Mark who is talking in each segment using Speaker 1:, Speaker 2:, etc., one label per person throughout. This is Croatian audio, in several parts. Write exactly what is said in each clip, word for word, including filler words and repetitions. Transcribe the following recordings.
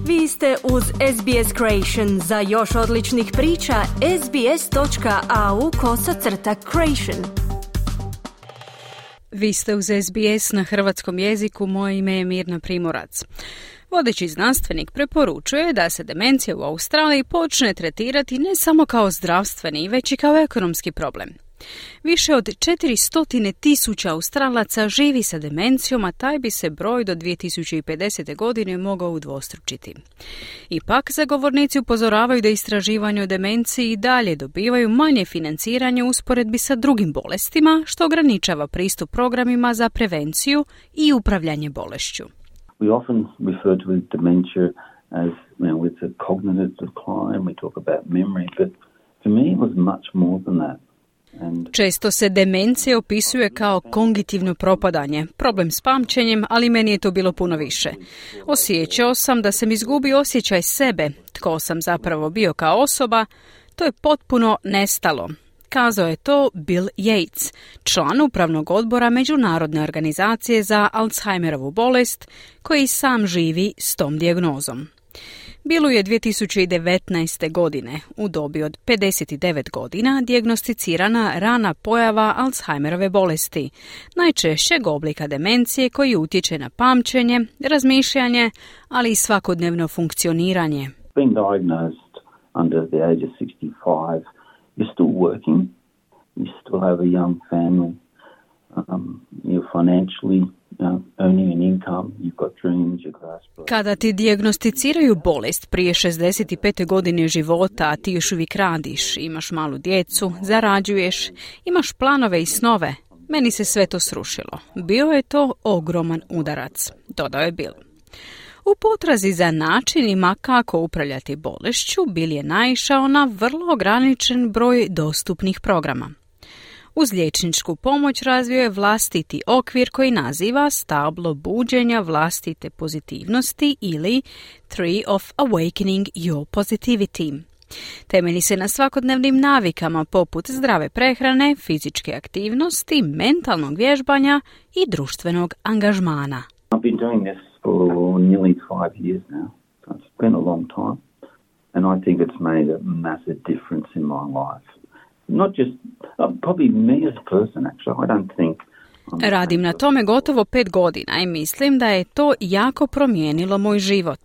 Speaker 1: Vi ste uz S B S Creation. Za još odličnih priča, sbs.au kosacrta creation.
Speaker 2: Vi ste uz S B S na hrvatskom jeziku, moje ime je Mirna Primorac. Vodeći znanstvenik preporučuje da se demencija u Australiji počne tretirati ne samo kao zdravstveni, već i kao ekonomski problem. Više od četiristo tisuća Australaca živi sa demencijom, a taj bi se broj do dvije tisuće pedesete. godine mogao udvostručiti. Ipak, zagovornici upozoravaju da istraživanje o demenciji i dalje dobivaju manje financiranje u usporedbi sa drugim bolestima, što ograničava pristup programima za prevenciju i upravljanje bolešću.
Speaker 3: We often refer to dementia as, you know, it's a cognitive decline, we talk about memory, but for me it was much more than that.
Speaker 2: Često se demencija opisuje kao kognitivno propadanje, problem s pamćenjem, ali meni je to bilo puno više. Osjećao sam da sam izgubio osjećaj sebe, tko sam zapravo bio kao osoba, to je potpuno nestalo. Kazao je to Bill Yates, član upravnog odbora Međunarodne organizacije za Alzheimerovu bolest, koji sam živi s tom dijagnozom. Billu je dvije tisuće devetnaeste. godine, u dobi od pedeset devet godina, dijagnosticirana rana pojava Alzheimerove bolesti, najčešćeg oblika demencije koji utječe na pamćenje, razmišljanje, ali i svakodnevno funkcioniranje.
Speaker 3: Being diagnosed under the age of sixty-five, you're still working, you still have a young family, um, you're financially
Speaker 2: Kada ti dijagnosticiraju bolest prije šezdeset pete. godine života, a ti još uvijek radiš, imaš malu djecu, zarađuješ, imaš planove i snove, meni se sve to srušilo. Bio je to ogroman udarac, dodao je Bill. U potrazi za načinima kako upravljati bolešću, Bill je naišao na vrlo ograničen broj dostupnih programa. Uz liječničku pomoć razvio je vlastiti okvir koji naziva stablo buđenja vlastite pozitivnosti ili Tree of Awakening Your Positivity. Temelji se na svakodnevnim navikama poput zdrave prehrane, fizičke aktivnosti, mentalnog vježbanja i društvenog angažmana.
Speaker 3: I've been doing this for nearly five years now. It's been a long time and I think it's made a massive difference in my life. Not just, uh, probably me as a person, actually. I don't think...
Speaker 2: Radim na tome gotovo pet godina i mislim da je to jako promijenilo moj život.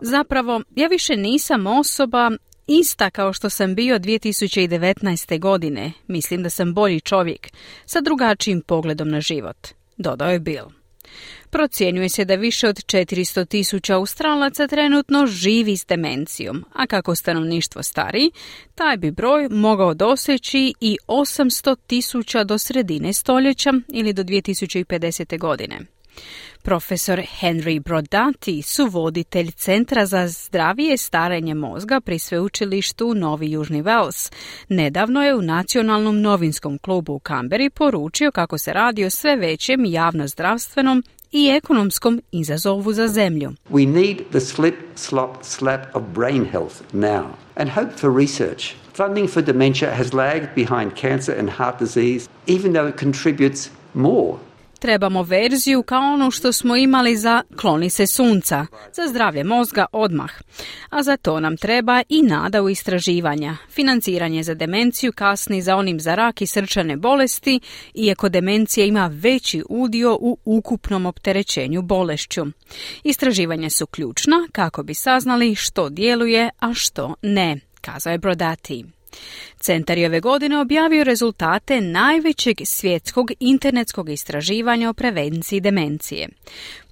Speaker 2: Zapravo, ja više nisam osoba ista kao što sam bio dvije tisuće devetnaeste. godine. Mislim da sam bolji čovjek, sa drugačijim pogledom na život, dodao je Bill. Procjenjuje se da više od četiristo tisuća Australaca trenutno živi s demencijom, a kako stanovništvo stari, taj bi broj mogao doseći i osamsto tisuća do sredine stoljeća ili do dvije tisuće pedesete. godine. Profesor Henry Brodati, suvoditelj Centra za zdravije starenje mozga pri sveučilištu Novi Južni Wales, nedavno je u Nacionalnom novinskom klubu u Canberri poručio kako se radi o sve većem javnozdravstvenom i ekonomskom izazovu za zemlju.
Speaker 4: We need the slip, slop, slap of brain health now and hope for research. Funding for dementia has lagged behind cancer and heart disease, even though it contributes more.
Speaker 2: Trebamo verziju kao ono što smo imali za kloni se sunca, za zdravlje mozga odmah. A za to nam treba i nada u istraživanja. Financiranje za demenciju kasni za onim za rak i srčane bolesti, iako demencija ima veći udio u ukupnom opterećenju bolešću. Istraživanja su ključna kako bi saznali što djeluje, a što ne, kazao je Brodati. Centar je ove godine objavio rezultate najvećeg svjetskog internetskog istraživanja o prevenciji demencije.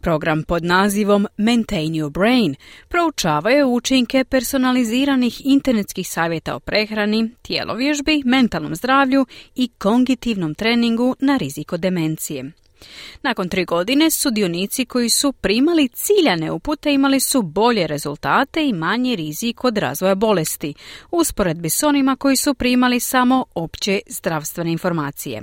Speaker 2: Program pod nazivom Maintain Your Brain proučava je učinke personaliziranih internetskih savjeta o prehrani, tjelovježbi, mentalnom zdravlju i kognitivnom treningu na rizik od demencije. Nakon tri godine sudionici koji su primali ciljane upute imali su bolje rezultate i manji rizik od razvoja bolesti, u usporedbi s onima koji su primali samo opće zdravstvene informacije.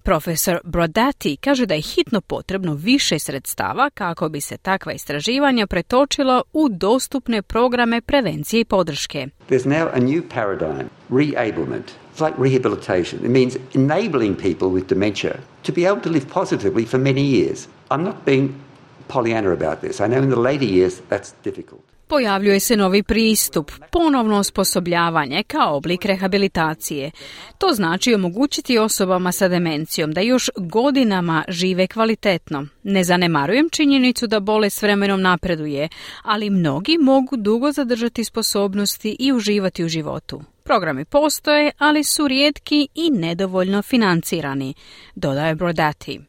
Speaker 2: Profesor Brodati kaže da je hitno potrebno više sredstava kako bi se takva istraživanja pretočila u dostupne programe prevencije i podrške.
Speaker 4: There's now a new paradigm, reablement. It's like rehabilitation. It means enabling people with dementia to be able to live positively for many years. I'm not being Pollyanna about this. I know in the later years that's difficult.
Speaker 2: Pojavljuje se novi pristup, ponovno osposobljavanje kao oblik rehabilitacije. To znači omogućiti osobama sa demencijom da još godinama žive kvalitetno. Ne zanemarujem činjenicu da bolest s vremenom napreduje, ali mnogi mogu dugo zadržati sposobnosti i uživati u životu. Programi postoje, ali su rijetki i nedovoljno financirani, dodaje Brodati.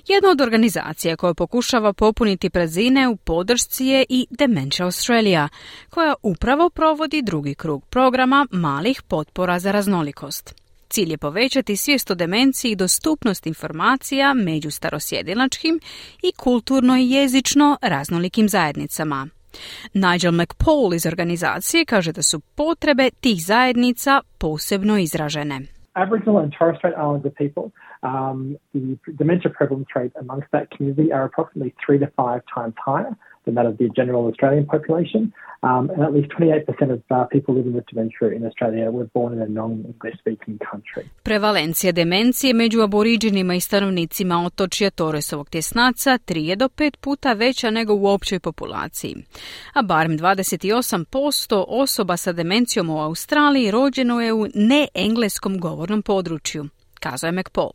Speaker 2: Jedna od organizacija koja pokušava popuniti praznine u podršci je i Dementia Australia, koja upravo provodi drugi krug programa malih potpora za raznolikost. Cilj je povećati svijest o demenciji i dostupnost informacija među starosjedilačkim i kulturno i jezično raznolikim zajednicama. Nigel McPaul iz organizacije kaže da su potrebe tih zajednica posebno izražene.
Speaker 5: Aboriginal and Torres Strait Islander people, um, the dementia prevalence rate amongst that community are approximately three to five times higher than that of the general Australian population, um, and at least twenty-eight percent of uh, people living with dementia in Australia were born in a non-English-speaking country.
Speaker 2: Prevalencija demencije među aboriđinima i stanovnicima otočja Torresovog tjesnaca tri je do pet puta veća nego u općoj populaciji. A barem dvadeset osam posto osoba sa demencijom u Australiji rođeno je u neengleskom govornom području, kazao je McPaul.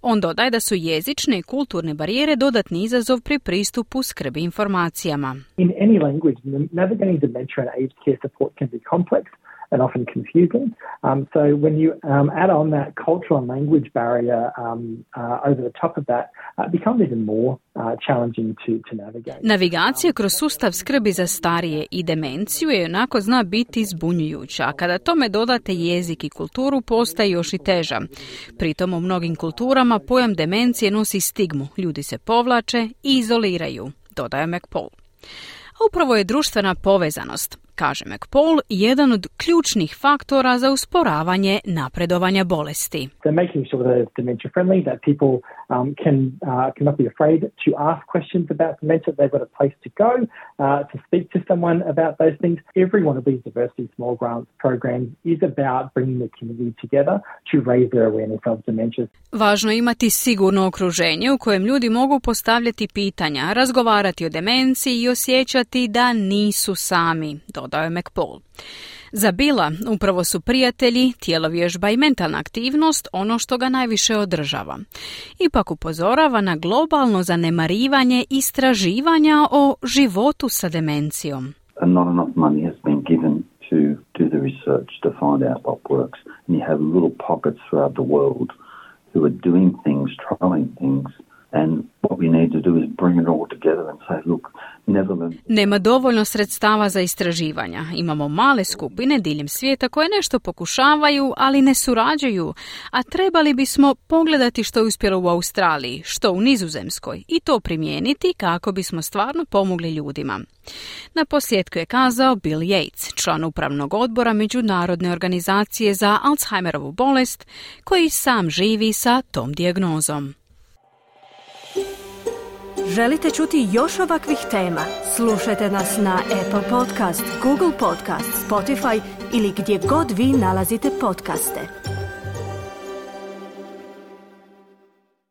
Speaker 2: On dodaje da su jezične i kulturne barijere dodatni izazov pri pristupu skrbi informacijama.
Speaker 5: In any language, navigating dementia and aged care support can be complex and often confusing. Um, so when you um, add on that cultural and language barrier um, uh, over the top of that, uh, it becomes even more uh, challenging to, to navigate.
Speaker 2: Navigacija kroz sustav skrbi za starije i demenciju je onako zna biti zbunjujuća, a kada tome dodate jezik i kulturu postaje još i teža. Pritom u mnogim kulturama pojam demencije nosi stigmu, ljudi se povlače i izoliraju, dodaje McPaul. A upravo je društvena povezanost, kaže McPaul, jedan od ključnih faktora za usporavanje napredovanja bolesti.
Speaker 5: So making sure that it's dementia friendly, that people um, can uh, cannot be afraid to ask questions about dementia. They've got a place to go uh, to speak to someone about those things. Every one of these diversity small grants programs is about bringing the community together to raise their awareness of dementia.
Speaker 2: Važno je imati sigurno okruženje u kojem ljudi mogu postavljati pitanja, razgovarati o demenciji i osjećati da nisu sami, dodao je McPaul. Za Billa upravo su prijatelji, tjelovježba i mentalna aktivnost ono što ga najviše održava. Ipak upozorava na globalno zanemarivanje istraživanja o životu sa demencijom.
Speaker 3: Not enough money has been given to do the research to find out what works. And you have little pockets throughout the world who are doing things, trying things. And what we need to do is bring it all together and say, look, Netherlands...
Speaker 2: Nema dovoljno sredstava za istraživanja. Imamo male skupine diljem svijeta koje nešto pokušavaju, ali ne surađuju. A trebali bismo pogledati što je uspjelo u Australiji, što u Nizozemskoj i to primijeniti kako bismo stvarno pomogli ljudima. Na posljedku je kazao Bill Yates, član upravnog odbora Međunarodne organizacije za Alzheimerovu bolest, koji sam živi sa tom dijagnozom.
Speaker 1: Želite čuti još ovakvih tema? Slušajte nas na Apple Podcast, Google Podcast, Spotify ili gdje god vi nalazite podcaste.